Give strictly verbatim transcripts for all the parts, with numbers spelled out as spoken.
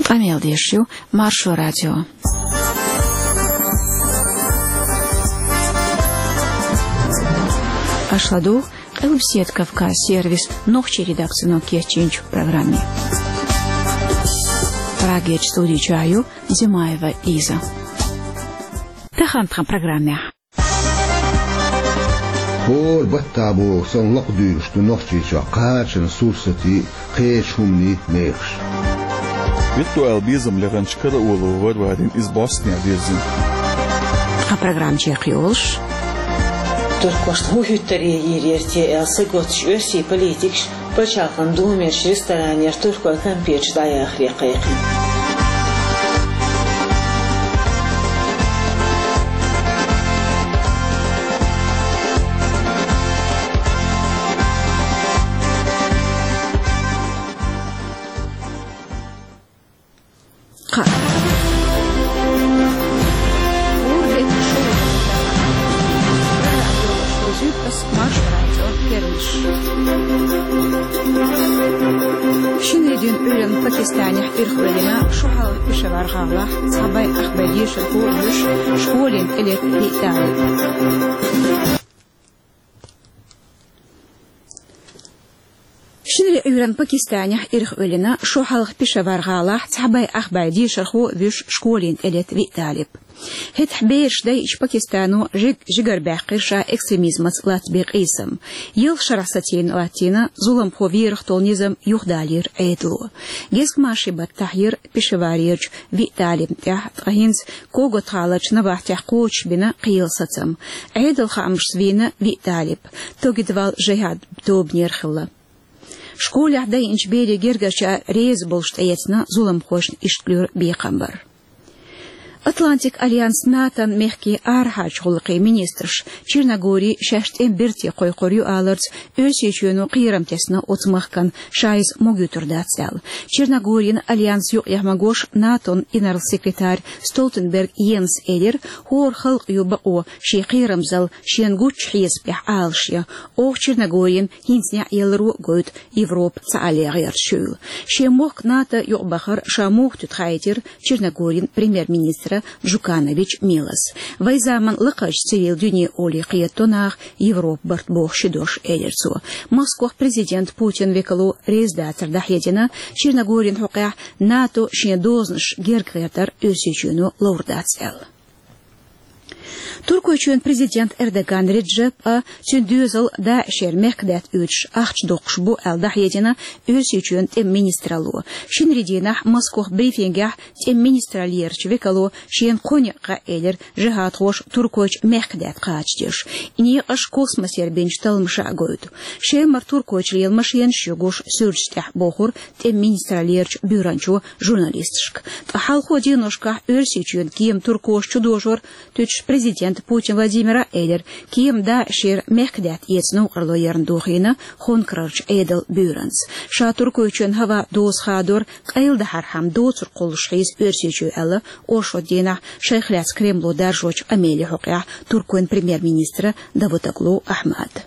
Къамел деш ю Маршо радио. Аша ладугӀу Къилбседа Кавказ сервисан нохчийн редакцино кечйинчу программе. Прагерчу студи чохь ю Димаева Лиза. Тахана тхан программехь. ХӀора баттахь боху санна лакхадуьйлуш ду Нохчийчохь кхачанан сурсатийн, кхечу хӀуманийн мехаш. Виртуал безам леханчу Караулова Варварина иза бӀостанехьа вирзина. Тхан программа чекхйолуш. Туркошна хӀун хӀуьттур йийр яра те аьлла саготтуш оьрсийн политикаш Пачхьалкхан Думерчу ресторанера туркойн кампеташ дӀаяхаре кхайкхина. Кхаа. Маршо радион керланаш. Шинарин Ӏуьйранна Пакистанехь ирхъоьллина шо хьалха Пешавар гӀалахь цхьа бӀе ах бӀе дешархо а вуьш школина тӀелетта виъ талиб. Шинарин Ӏуьйранна Пакистанехь ирхъоьллина шо хьалха Пешавар гӀалахь цхьа бӀе ах бӀе дешархо а вуьш школина тӀелетта виъ талиб. ХӀетахь бераш дайча Пакистано жиг-, жигара баьккхира ша экстремизмаца латтабен къийсам. Ялх шарахь сацийна латтийна зуламхо верах долу низам юхадалийра Ӏедало. Гезгмашин баттахь яра Пешаварерчу виъ талибна тӀехь, ткъа хӀинца Когот-гӀаларчу набахтехь кхочуш бина кхелан сацам. Ӏедалан хаамашца вийна виъ талиб, Тогидвал жихӀад тобанера хилла. Школехь дайинчу берийн гергарчара реза болуш тӀеэцна зуламхошна иштта луьра бекхам бар. Атлантикан альянс НАТОн мехкийн арахьарчу гӀуллакхийн министраш Черногори шаьш тӀеман берте кхойкхур ю аларца, Оьрсийчоьно кхерам тесна оцу махкана, ша иза могуьйтур дац аьлла. Черногорин альянс юкъахь магош НАТОн инарла секретарь Столтенберг Йенс элира, хӀора халкъ ю бакъо шен кхерамзалла шена гучу хьесапехь Ӏалашъян. Оха Черногорина хӀинца неӀ яларо а гойту Европа цхьаалле гӀерташ хуьлу. Шен мохк НАТО юкъабахар ша муха туьту хаийтира Черногорин премьер-министра Джуканович Милос. Вайн заманан лакхарчу цивилан дуьне олий кхетадо наха Европа барт боху ши дош, элира цо. Москвахь президент Путин векало реза дацар дӀахьедина, Черногорин хьокъехь НАТО шен дозанаш герга гӀертар Оьрсийчоьно ловр дац аьлла. Туркойчоьнан президент Эрдоган Реджеп а, цуьнан доьзал ДАИШера мехкадаьтта оьцуш ахча доккхуш бу аьлла дӀахьедина Оьрсийчоьнан тӀеман министралло. Шинарин дийнахь Москвахь брифингехь тӀеман министраллерачу векало шена кхо некъ хаьа элира жихӀадхоша Туркойчу мехкадаьтта кхачадеш. И некъаш космосера бинчу талламаша а гойту. Шемара Туркойчу лела машенаш ю гуш суьрташ тӀехь, бохура тӀеман министраллерачу буьйранчо журналисташка. Ткъа хьалхо деношкахь Оьрсийчоьнан кема туркоша чудожор туьтуш президента Путин Владимира элира, кема ДАИШера мехкадаьтта эца новкъарло ярна дохийна хонкарарчу Ӏедалан буьйранца. Ша Туркойчоьнан хӀаваан доза хадор къайладахьархьама доцург кхуллуш хьийза Оьрсийчоь аьлла оршот дийнахь шайх лаьцна Кремло даржочу къамелан хьокъехь Туркойн премьер-министра Давутоглу Ахьмада.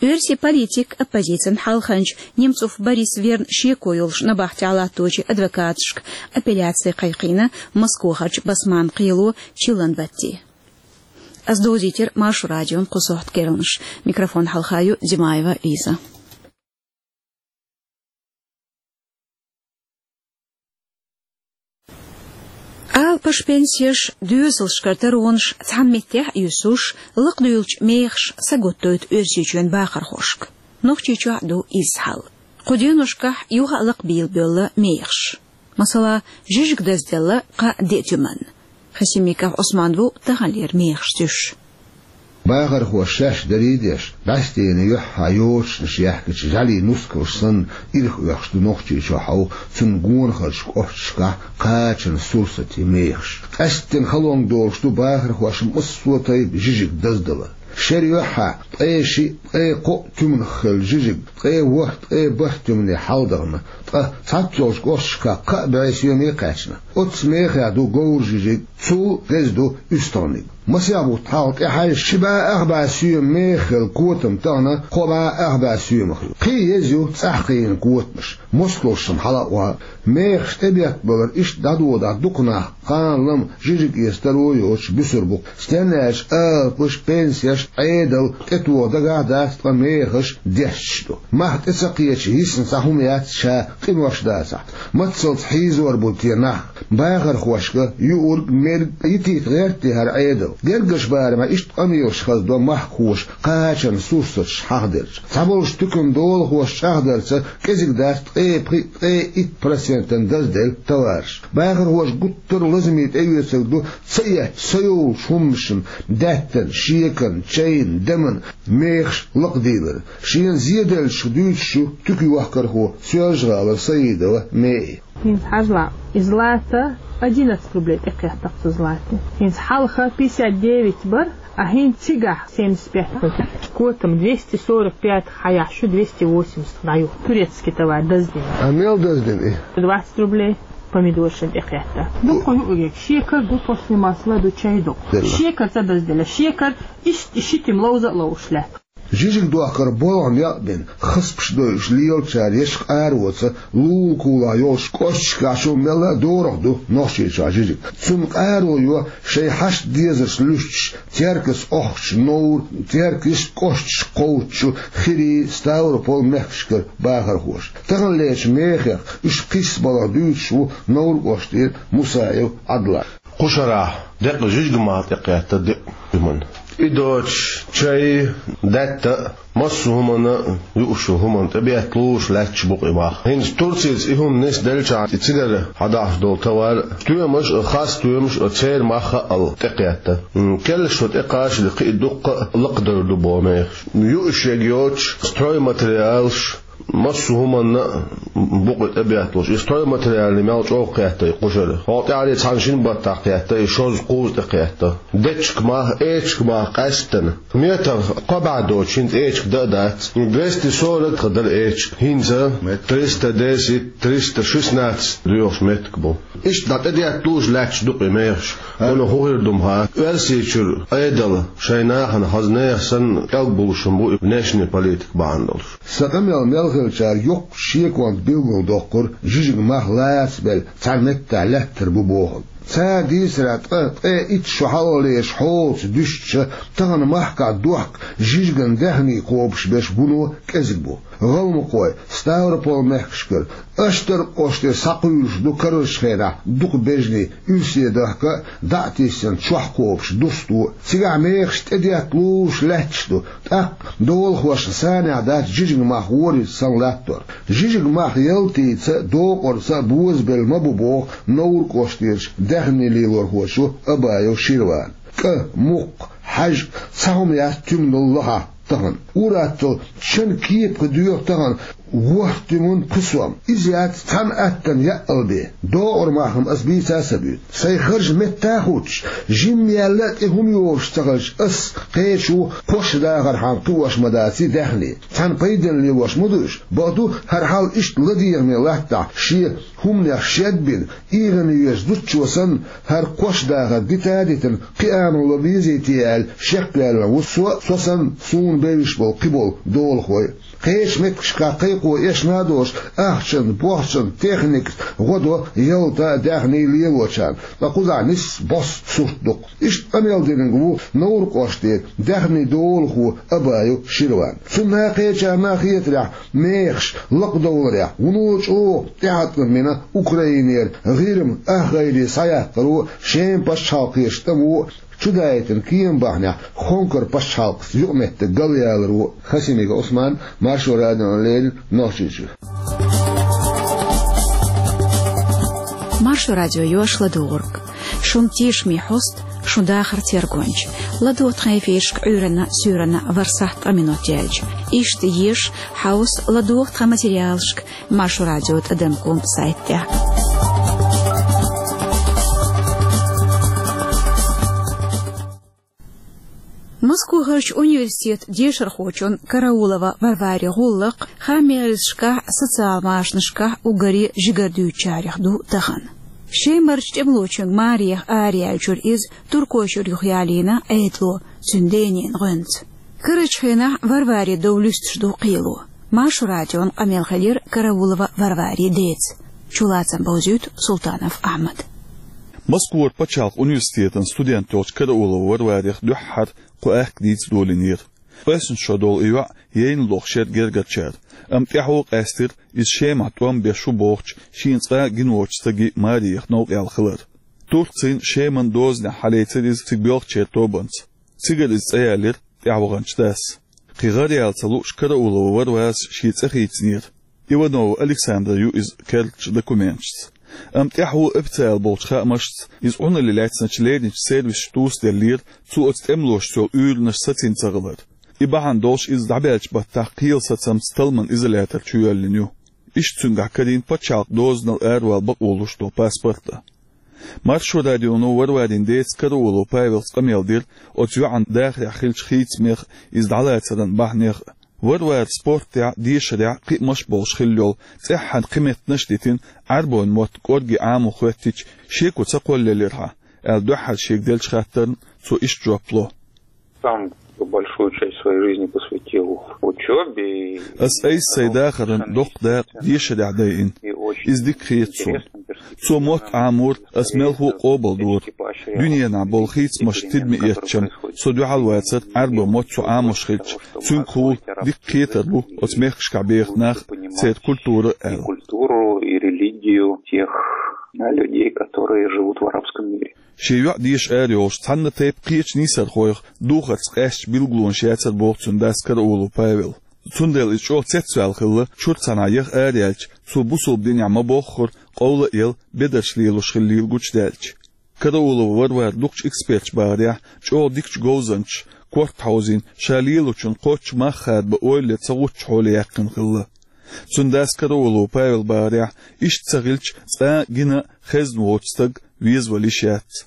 Оьрсийн политик, оппозицин хьалханча Немцов Борис верна шеко йолуш набахтехь латточийн адвокаташка апелляци кхайкхийна Москвахарчу Басманна кхело чиллан батте. Ас довзийтира Маршо радион кху сохьта керланаш. Микрофон хьалха ю Димаева Лиза. Алапаш, пенсеш, доьзалшкара таронаш цхьана меттехь а юьсуш, лакхадуьйлучу мехаша саготтойту Оьрсийчоьнан бахархошка. Нохчийчохь а ду изза хьал. Кху деношкахь юха а лакхабийла боьлла мехаш. Масала, жижиг дазделла кхаа-деа туьманна. Хасимиков Ӏусман ву таханлера мехаш туьсуш. Бахархоша шаьш дарий а деш, бӀаьстенан юьххьехь йочанаш яьхкича жӀаьлийн нускалш санна, ирх оьхуш ду Нохчийчохь а, цунна гонахарчу кӀошташкахь кхачанан сурсатийн мехаш. Къаьсттина халонга долуш ду бахархошна массо а тайпа жижиг даздалар. Шера юьххьехь ткъе шиъ, ткъе кхоъ туьманах хилла жижиг ткъе ворхӀ, ткъе бархӀ туьмане хьаладахана, ткъа цхьаццайолчу кӀошташкахь кхаа бӀе соьме кхаьчна. Оццу мехех ду говран жижиг, цул деза ду уьстагӀниг. Масех бутт хьалха тӀехьаьжча, ши бӀе ах бӀе соьма мехах хилла котам тахана кхо бӀе ах бӀе соьмах ю. Кхин а еза ю цӀахь кхиийна котамаш. Москвалшам хьала а ваха, мехаш тӀебеттабалар иштта дӀадодахь дукха нах кхана-лама жижиг эца таро йоцуш буьсур бу-кх. Стенна аьлча алапаш, пенсеш, Ӏедал тӀетоха дагахь а дац, ткъа мехаш дешча ду. Мах тӀе ца кхеча йисна цхьа хӀума яц ша къинош дацахь. Маццалц хьийзор бу те нах? Бахархошка юург, мерг йитийта гӀерта хӀара Ӏедал? Гергарчу барамехь иштта къамелаш хазадо махкахоша кхачанан сурсаташ хьахаделча. Цхьаболчу туьканан долахоша чӀагӀдарца кӀезиг дац ткъе пхи, ткъе итт процентана дазделла товараш. Бахархоша гуттар а лазаме тӀеоьцург ду ца эцча, ца йолчу хӀуманашна: даьттан, шекарна, чайна, дамна мехаш лакхадийлар. Шена зеделлачух дуьйцуш ю туькан йохкархо, Соьлжа-ГӀалара Саидова Меи. ХӀинца хьажал, и злато одиннадцать рублей тӀекхеттакх цу злате. ХӀинца хьалха пятьдесят девять бара, а хӀинца цигахь семьдесят пять. Котам двести сорок пять хьаяхь, шу двести восемьдесят дӀаю. Турецкий товар даздина. А мел даздина и? Двадцать рублей помидоршна тӀекхетта. Дукха юург, шекар ду, после масла ду, чай ду. Делла. Шекар ца дазделла. Шекар иштта ши тима ловза а ловзуш лаьтта. Жижиг дохкар болх некъ бина, хасбаш дойуш лелачара еш къароца, лулакулахь йолуш кӀошташкахь чу мелла а дорах ду Нохчийчохь жижиг. Цунна къаро йо шайн хьашт дезарш луьстуш, Теркаца охкучу Новр-, Теркаца кӀошташка кхочучу Хири, Ставрополь мехкашкара бахархоша. Таханлерчу мехех уьш кхиссабаларх дуьйцуш ву Новр кӀоштара Мусаев Ӏадла. Кху шарахь деккъа жижиг мах тӀекхетта диъ хӀуманна. И доцуш, чай, даьтта а, массо а хӀуманна а, юуш йолу хӀуманна тӀебетталуш лаьтташ бу-кх и мах. ХӀинца Турцица и хӀума нисделчахьана, и цигара хьадахьаш долу товар, стоьмаш а, хас стоьмаш а, церан мах а хаъал тӀекхетта. М, кхеллаш шо тӀекхачале, кхин а дуккха а лакхадевр ду боху мехаш. Юуш ерг йоцуш, стройматериалаш, массо а хӀуманна а бу-кх и тӀебетталуш. И стройматериалаш мел чӀогӀа кхетта и кху шарахь. ХӀокху тӀаьххьара цхьана-шина баттахь кхетта и шозза, кхузза тӀекхетта. Дечиг мах, эчиг мах къаьсттина. Метр кхо бӀе доцуш, хӀинца эчиг дан а дац. Двести сорок тхан дара эчиг. ХӀинца триста десять, триста шестнадцать доьхуш меттиг бу. Иштта дӀа тӀедетталуш лаьтташ ду-кх и мехаш. Вуно хӀун хир ду-м хаа, Оьрсийчуьра Ӏедал шайн нахана хаза нехан санна кӀелгалуш хӀума бу и внешний политика бахьана долуш. Сан къамел мел хилчара йоккхачу шеконца билгалдоккхура жижиг мах лацабелла цхьана меттехь лаьттар бу бохург. Цара дийцарехь, ткъа ткъе итт шо хьалхалерчу хьолаца дуьстича, тахана махкахь дохка жижиган даьхний кхобуш берш вуно кӀезиг бу. ГӀалмакхой, Ставрополь мехкашкара, Аштаркхоште схьакхуьйлуш ду карарчу хенахь дукха бежанийн, уьрсе дахка а, дӀа а тиссина, чохь кхобуш дусто а. Цигахь мехаш тӀедетталуш лаьтташ ду, тӀаккха долахошна санехь дац жижиг мах ворхӀазза санна латтор. Жижиг мах ялтица а, докъарца а бозабелла ма бу боху Новр кӀоштерчу даьхний лелорхочо Абаев Ширвана. КӀа, мукх, хьаьжкӀа, цхьа хӀума яц туьманал лахахь тахана. Ур-атталла чан кепах доьху тахана ворхӀ туьма пхи сом. Иза яц цхьана аттана яъал бен. Докъар мах-м аса бийца а ца буьйцу. Сайн харж метта а хуттуш, жимма яьлла а тӀе хӀума йолуш ца хилча, ас кхечо кхош дахархьама кхиош ма даций даьхний. Цхьана пайденна лелош ма ду уьш. Бакъду, хӀара хьал иштта ладегӀаме латтахь, шен хӀуманех шед а бина, ИгӀана веза зудчо санна, хӀара кхош дахар дита а дитина, кхиамо ло безий те аьлла, шекваьлла ву со, со санна, суна бевзаш болу кхиболу долахой. Кхечу меттигашкахь кхайкхо эшна а долуш, ахчанца, бохчанца, техникаца гӀо до ялта а, даьхний лелочарна, ткъа кхузахь нисса босса сурт ду-кх. Иштта къамел динарг ву Новр кӀоштера даьхний долахо Абаев Ширван. Цунна а, кхечарна а хетарехь, мехаш лакхадовларехь вуно чӀогӀа тӀеӀаткъам бина Украинера ГӀирма ах гӀайре схьаяккхаро, Шеман пачхьалкхерчу тӀамо а чудаийтина кема бахьанехь Хонкара пачхьалкхаца юкъаметтиг галъяларо. Хасимиков Ӏусман, Маршо радиона леррина, Нохчийчуьра. Маршо радио йош ладугӀург. Шун тешаме хьост, шун дахар тергонча. ЛадогӀа тхан эфирашка Ӏуьйранна, суьйранна ворхӀ сахьт ткъа минот яьлча. Иштта еша, хьовса, ладогӀа тхан материалашка Маршо радио тӀадам ком сайтехь. Москвахарчу университетан дешархочун Караулова Варвари гӀуллакх хаамерзашкахь, социал машанашкахь уггаре жигара дуьйцучарех ду тахана. Шемарчу тӀемалочуьнга марех араяьллачуьра иза Туркойчуьра юхаялийна Ӏедало, цуьнан денна гӀоьнца. Карарчу хенахь Варвари дов луьстуш ду кхело. Маршо радион къамел хилира Караулова Варварин деца. Чулацам бовзийта Султанов Ахьмад. Москвара пачхьалкхан университетан студент йолчу Караулова Варварех дуьххьара кху аьхка дийца долийнера. Къоьсна шо долу и йоӀ яйна лохуш яра гергарчара, амма тӀаьхьо къаьстира иза Шемахь тӀом беш ву бохучу шена цкъа а гина воцучу стаге Мариех новкъа яьлла хилар. Турцин Шеман дозанехь хьалецира иза цига боьлхучеран тобанца. Цигара иза цӀа яьллера тӀаьхьа ваханчу дас. Кхин гӀара яла ца лууш Караулова Варварас шен цӀе хийцинера. Иванова Александра ю иза керлачу документашца. Амма тӀаьхьо официалан болчу хаамашца иза Ӏуналле лаьцначу леринчу сервисаша тосаделлера, цо оцу тӀемалошца йолу уьйранаш сацийна ца хилар. И бахьана долуш иза дӀабаьллачу баттахь кхелан сацамца талламан изолятор чу йоьллина ю. Иштта цуьнгахь карийна пачхьалкхан дозанал аравала бакъо луш долу паспорт а. Маршо радионо Варварин деца Караулов Павелца къамел дира оцу йоӀан дахарехь хиллачу хийцамех, иза дӀалацаран бахьанех а. Варвара спортехь, дешарехь кхиамаш а болуш хилла йолу, цӀеххьана кхин меттанаш а дитина, Ӏаьрбойн мотт кӀорге Ӏамо хӀоьттича, шеко ца кхоллаелира хьан, аьлла дуьххьара шега деллачу хаттарна цо иштта жоп ло. Сам большую часть своей жизни посвятил учёбе. Ас айса сайн дахаран доккха дакъа дешарехь дайина. Иза дика хета суна. Цо мотт Ӏамор ас мелхо а къобалдора. Дуьненахь болу хийцамаш тидаме эцча, со дуьхьал вацара Ӏаьрбойн мотт цо Ӏамош хилча, цуьнгахула дика кхетар бу оцу мехкашкахь беха нах а, церан культура а аьлла. Культуру и религию тех людей, которые живут в арабском мире. Шен йоӀ деша арайолуш цхьана тайпа кхечу нийсархойх духарца къаьстачу билгалонаш яцара боху цуьнан дас Караулов Павел. Цундела иза чӀогӀа цецваьлла хилла, чуьра цхьанхьа яха араяьлча, цо бусалба динехь ма-боххура, къовла а елла, бедарш лелош хиллийла гучудаьлча. Караулова Варвара дукхачу эксперташа бахарехь, чӀогӀа дикачу говзанчаша корта хьовзийна, ша лелочун кхоччуш мах хадабан ойла ца гӀуттучу хьоле яьккхина хилла. Цуьнан дас Караулов Павел бахарехь, иштта ца хилча, цкъа а гина а, хезна воцу стаг везавала йиш яц.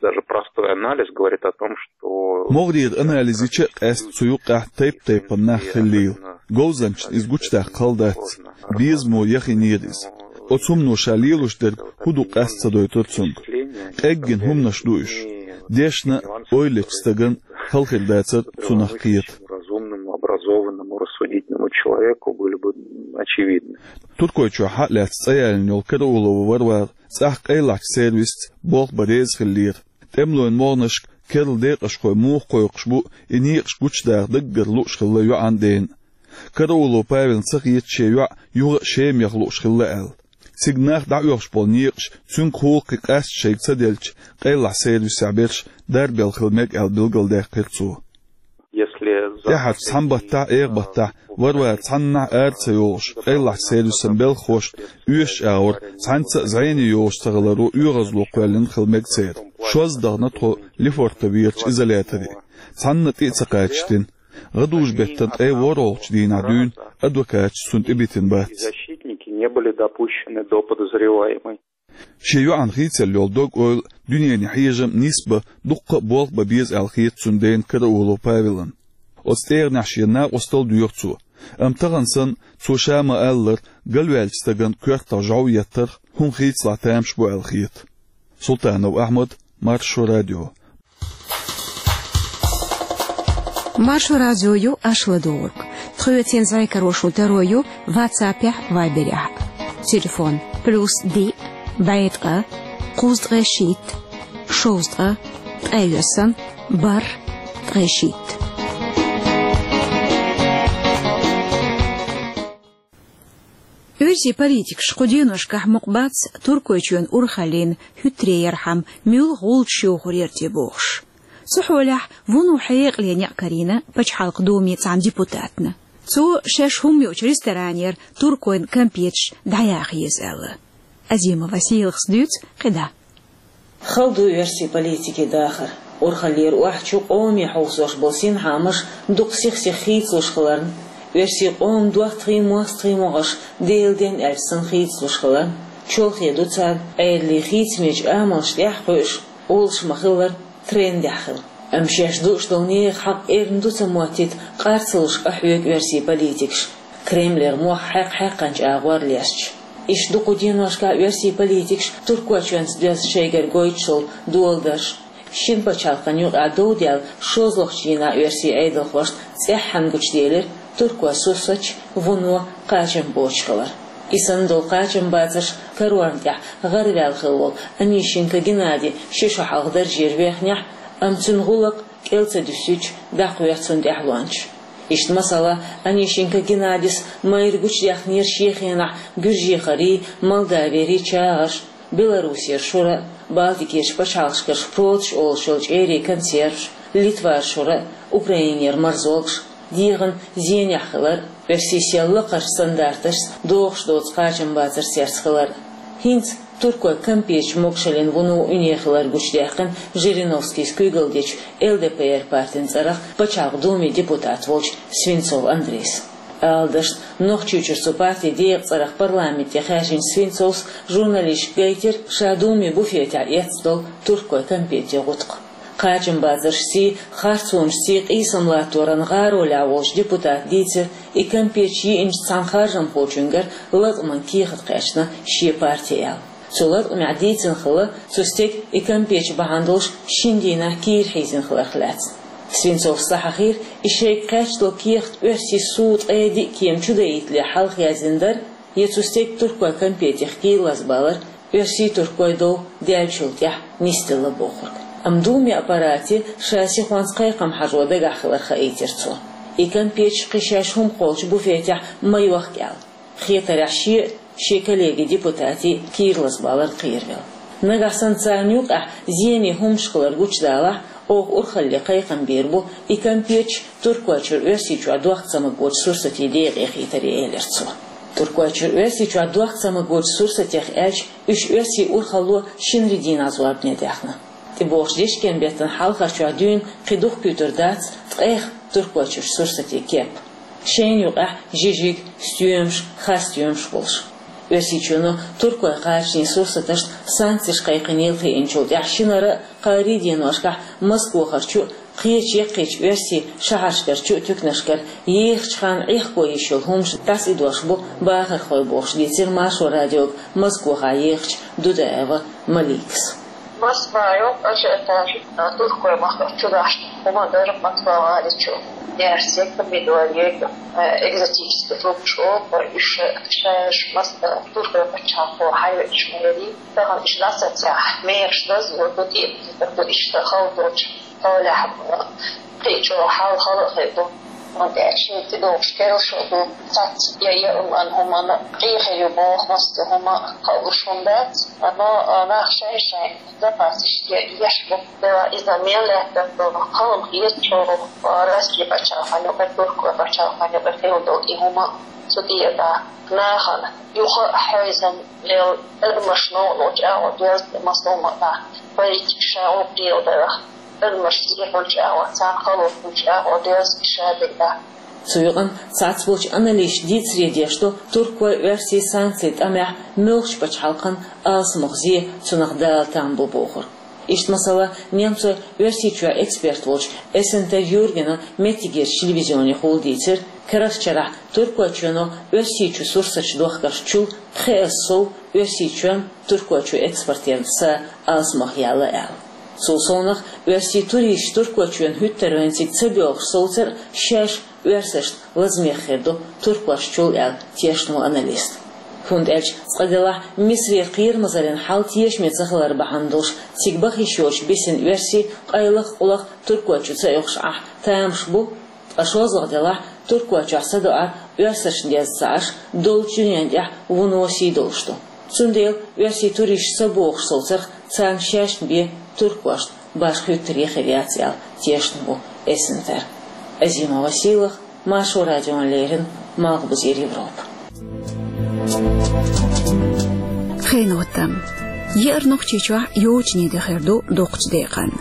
Даже простой анализ говорит о том, что МогӀарера анализ йича а къаьста цу юккъехь тайп-тайпана нах хиллийла. Говзанчашна иза гучудаккха хала дац. Безамо яхийнера иза. Оцу хӀумано ша лелош дерг хӀун ду къаста ца дойтура цуьнга. Къеггина хӀуманаш ду уьш. Дешна а, ойла ечу стагана хала хир дацара цунах кхета. Разумному, образованному, рассудительному человеку были бы очевидны. Туркойчохь схьа а лаьцна цӀа ялийна йолу Караулова Варвара цӀахь къайлахчу сервисца болх бан реза хиллера. ТӀемалойн могӀанашка керла декъашхой муха кхойкхуш бу, и некъаш гучудаха даггара лууш хилла йоӀан дена. Караулов Павелна ца хета шен йоӀ юха а Шемах лууш хилла аьлла. Цига нах дӀаоьхуш болу некъаш цуьнгахула кхин къаста шайга ца делча, къайлахчу сервисехь берш дарбелла хила мега аьлла билгалдаьккхира цо. Если за ТӀаьхьарчу цхьана баттахь, эгӀа баттахь Варвара цхьаннахьа ара ца йолуш, къайлахчу сервисан белхахошна оьшучу агӀор цхьаьнца а зӀене йолуш ца хиларо оьгӀазло кхоьллина хила мега церан. Шозза дахана тхо Лефортоверчу изоляторе. Цхьанна тӀе а ца кхачийтина. ГӀадужу-беттан ткъе ворхӀалгӀачу дийнахь дуьйна адвокаташ цунна тӀебитина бац. Защитники не были допущены до подозреваемой. Шен йоӀан хийцалла йолу дог-ойла, дуьненан хьежам нисбан, дуккха а болх бан беза аьлла хета цуьнан дена Караулов Павелна. Оцу тӀегӀанехь шен накъостал а доьху цо, амма тахана санна, цо ша ма-аллара, галваьллачу стагана коьртах жӀов еттарх хӀума хийцалахь тамаш бу аьлла хета. Султанов Ахьмад, Маршо радио. Маршо радио ю аша ладугӀург. Тхоьца зӀе каро шун таро ю WhatsApp-ехь, Viber-ехь. Телефон: плюс диъ, бӀе ткъа, кхузткъе шийтта, шовзткъа, ткъе виссана, бархӀ, ткъе шийтта. Оьрсийн политикаш кху деношкахь мукъа бац Туркойчоьнан урхаллин хӀуьттаре ярхьама муьлха гӀулчаш йохур яра те бохуш. Цу хьолехь вуно хьекъале некъ карийна пачхьалкхан Думе цхьана депутатна. Цо шаьш хӀума йоцучу ресторанера туркойн кампеташ дӀаяха еза аьлла. Азимова Селхас дуьйцу кхидӀа. Хала ду оьрсийн политикийн дахар. Урхаллера охьачу къоме хьовсош болу синхаамаш дукха сих-сиха хийцалуш хиларна, оьрсийн къоман доттагӀий, мостагӀий могӀаш Делан денна аьлча санна хийцалуш хиларна, чолхе ду царна, Ӏедалан хийцамечу амалшна тӀаьхьа кхуьуш, олуш ма-хиллара, трендехь хила. Амма шаьш дууш долу нехан хьакъ эрна ду ца моттийта къар ца луш къахьоьгу оьрсийн политикаш, Кремлера мох хьаькх-хьаькхначу агӀор лесташ. Иштта ду кху деношкахь оьрсийн политикаш Туркойчоьнца доьзна шайгара гойтуш долу доладарш. Шина пачхьалкхан юкъахь дов даьлла шолгӀачу дийнахь оьрсийн Ӏедалхошна цӀеххьана гучуделира туркойн сурсаташ, вуно кхачам боцуш хилар. И санна долу кхачамбацарш карорна тӀехь гӀараваьлла хилла волу Онищенко Геннадий ши шо хьалха даржера вехнехь, амма цуьнан гӀуллакх кӀел ца дуьсуьйтуш дӀакхоьхьу цунна тӀаьхьалончаш. Иштта, масала, Онищенко Геннадис майра гучудаьхнера шен хенахь Гуьржехарий, Молдавиерий чагӀарш, Белоруссера шура а, Балтикерчу пачхьалкхашкара шпроташ олуш йолу чӀерийн консерваш, Литвара шура а, Украинера марзолгаш, дегӀан зенехь хилар а, оьрсийн сел лакхарчу стандарташца дохуш доцу кхачамбацарш церца хилар а. ХӀинца туркойн кампеташ могушаллин вуно уьне хилар гучудаьккхина Жириновскийс куьйгалла дечу Л Д П Р партин цӀарах Пачхьалкхан Думин депутат волчу Свинцов Андрейс. Ала дашна, Нохчийчуьра цу партин декъан цӀарах парламенте хаьржинчу Свинцовс журналисташка гайтира ша Думин буфетехь эцна долу туркойн кампетийн гӀутакх. Кхачамбацаршций, харцонашций къийсам латторан гӀаролехь волчу депутата дийцира, и кампеташ йиъначу цхьана харжамхочуьнгара латкъаман кехат кхаьчна шен партин аьлла. Цу латкъамехь дийцина хилла, цу стеган и кампеташ бахьана долуш шина дийнахь кийра хьийзина хиларх лаьцна. Свинцовс схьахьахийра, и шайга кхаьчна долу кехат оьрсийн суд ткъе диъ кема чу даийтале хьалха яздина дара, я цу стеган туркойн кампетех кийра лазабалар оьрсийн-туркойн дов даьллачул тӀаьхьа нисделла бохург. Амма Думин аппарате ша сихонца кхайкхам хьажо дагахь хилар хаийтира цо. И кампеташ кхин шаьш хӀума кхоллучу буфетехь ма йохка аьлла. Хетарехь, шен а, шен коллегин депутатийн а кийра лазабалар кхеравелла. Нагахь санна царна юкъахь зене хӀуманаш хилар гучудалахь, оха урхалле кхайкхам бийр бу и кампеташ Туркойчуьра Оьрсийчохь дохка ца магочу сурсатийн декъе хийтаре, элира цо. Туркойчуьра Оьрсийчохь дохка ца магочу сурсатех аьлча, уьш оьрсийн урхалло шинарин дийнахь зорбане даьхна. ТӀебогӀучу дечкен-беттан хьалхарчохь дуьйна кхин дукха куьйгур дац ткъех Туркойчуьрчу сурсатийн кеп. Шайна юкъахь жижиг, стоьмаш, хасстоьмаш болуш. Оьрсийчоьно туркойн кхачанийн сурсаташна санкцеш кхайкхинийла хиъначул тӀаьхьа шинара а, кхаарин а деношкахь Москвахарчу а, кхечу яккхийчу оьрсийн шахьаршкарчу а туьканашкара ехачу ханна Ӏехко йиш йолу хӀуманаш дӀасаидош бу бахархой бохуш, дийцира Маршо радиога Москвахь ехачу Дудаева Маликас. Москвахь йолу ажиотаж туркойн махкара чу дахьаш хӀума дара, Москва гӀали чу. Яьрсиг, помидор, йоьга, э, экзотический фрукташ олу, уьш шаьш Мос-, э, туркойн пачхьалкхо хьайвечу мерий. Тахана уьш дӀасацахь, мераш дазло ду, тӀе а ду, иштта хала долчу хьолехь, э, кхин чӀогӀа хьал хала а хир ду. ХӀунда аьлча шен тӀедогӀуш керла шо ду, цац я, я, хӀуманна, хӀуманна къен хир ю боху, массо а хӀума кхалуш хӀума дац, но, э, нах шайн-шайн запасаш е-, еш бу. Дела иза мел лаьттара ду, кхалма хетачо, Россия пачхьалкхана юкъа, Туркойн пачхьалкхана юкъа хилла долу и хӀума цу тӀера нахана юха а хьойзам лел, адамаш новкъа долчу агӀор доьзна, массо а хӀума а политика ша гӀуллакх леладарах, адамаш зехьулчу агӀор, царна хало хуьлучу агӀор доьзна ша дерг. Цу юкъана цхьацболчу аналисташа дийцаре деш ду туркойн, оьрсийн санкцийн тӀамехь муьлххачу пачхьалкхан алсамох зе, цунах дала там бу бохург. Иштта, масала, немцойн Оьрсийчоьнан эксперт волчу Эссентер Юргена меттигерчу телевизионе хӀаллак дийцира, карарчу шарахь Туркойчоьно Оьрсийчу сурсаташ дохкаршчул пхи эзар сов Оьрсийчоьнан Туркойчу экспортерна са алсамох яьлла аьлла. Цул совнах, оьрсийн туристаш Туркойчоьнна хӀуьттара вайна цига ца боьлхуш совцар а шаьш оьрсашна лазамех хир ду туркошчул аьлла, тешна ву аналист. ХӀунда аьлча цкъа делахь Мисарера кхерамазаллин хьал тешаме ца хилар бахьана долуш, цига баха йиш йоцуш бисина оьрсий къайлаха-къулаха Туркойчу ца оьхуш Ӏахь тамаш бу, ткъа шолгӀа делахь Туркойчохь садоӀар оьрсашна деза ца Ӏаш, доллучу дуьненна тӀехь вуно сий долуш ду. Цундела оьрсийн туристаш ца богӀуш совцарх царна шаьшна бен туркошна башха хӀуьттаре хир яц аьлла, тешна ву Эссентер. Азима Василах, Маршо радиона леррина, Малхбузера Европа. Хенотам. Еара Нохчийчохь йочане де хир ду доккхачу декъана.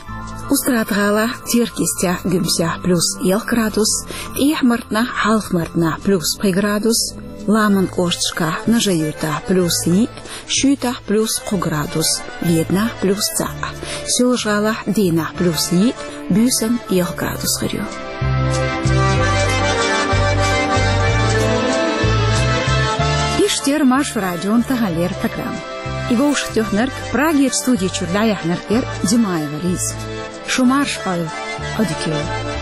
Устрада-ГӀалахь, Теркйистехь, Гуьмсехь плюс ялх градус, ТӀехьа-Мартанахь, Хьалха-Мартанахь плюс пхи градус, Ламанан кӀошташкахь, Нажи-Юьртахь плюс йиъ, Шуьйтахь плюс кхо градус, Веданахь плюс цхьаъ, Соьлжа-ГӀалахь, Дийнахь плюс йиъ, Буьйсанна ялх градус хир ю. Иштта яра Маршо радион таханлера программа. И вовшахтоьхнарг, Прагерчу студи чуьра дӀаяьхьнарг яра Димаева Лиза. Шу марша Ӏойла, Ӏодика йойла.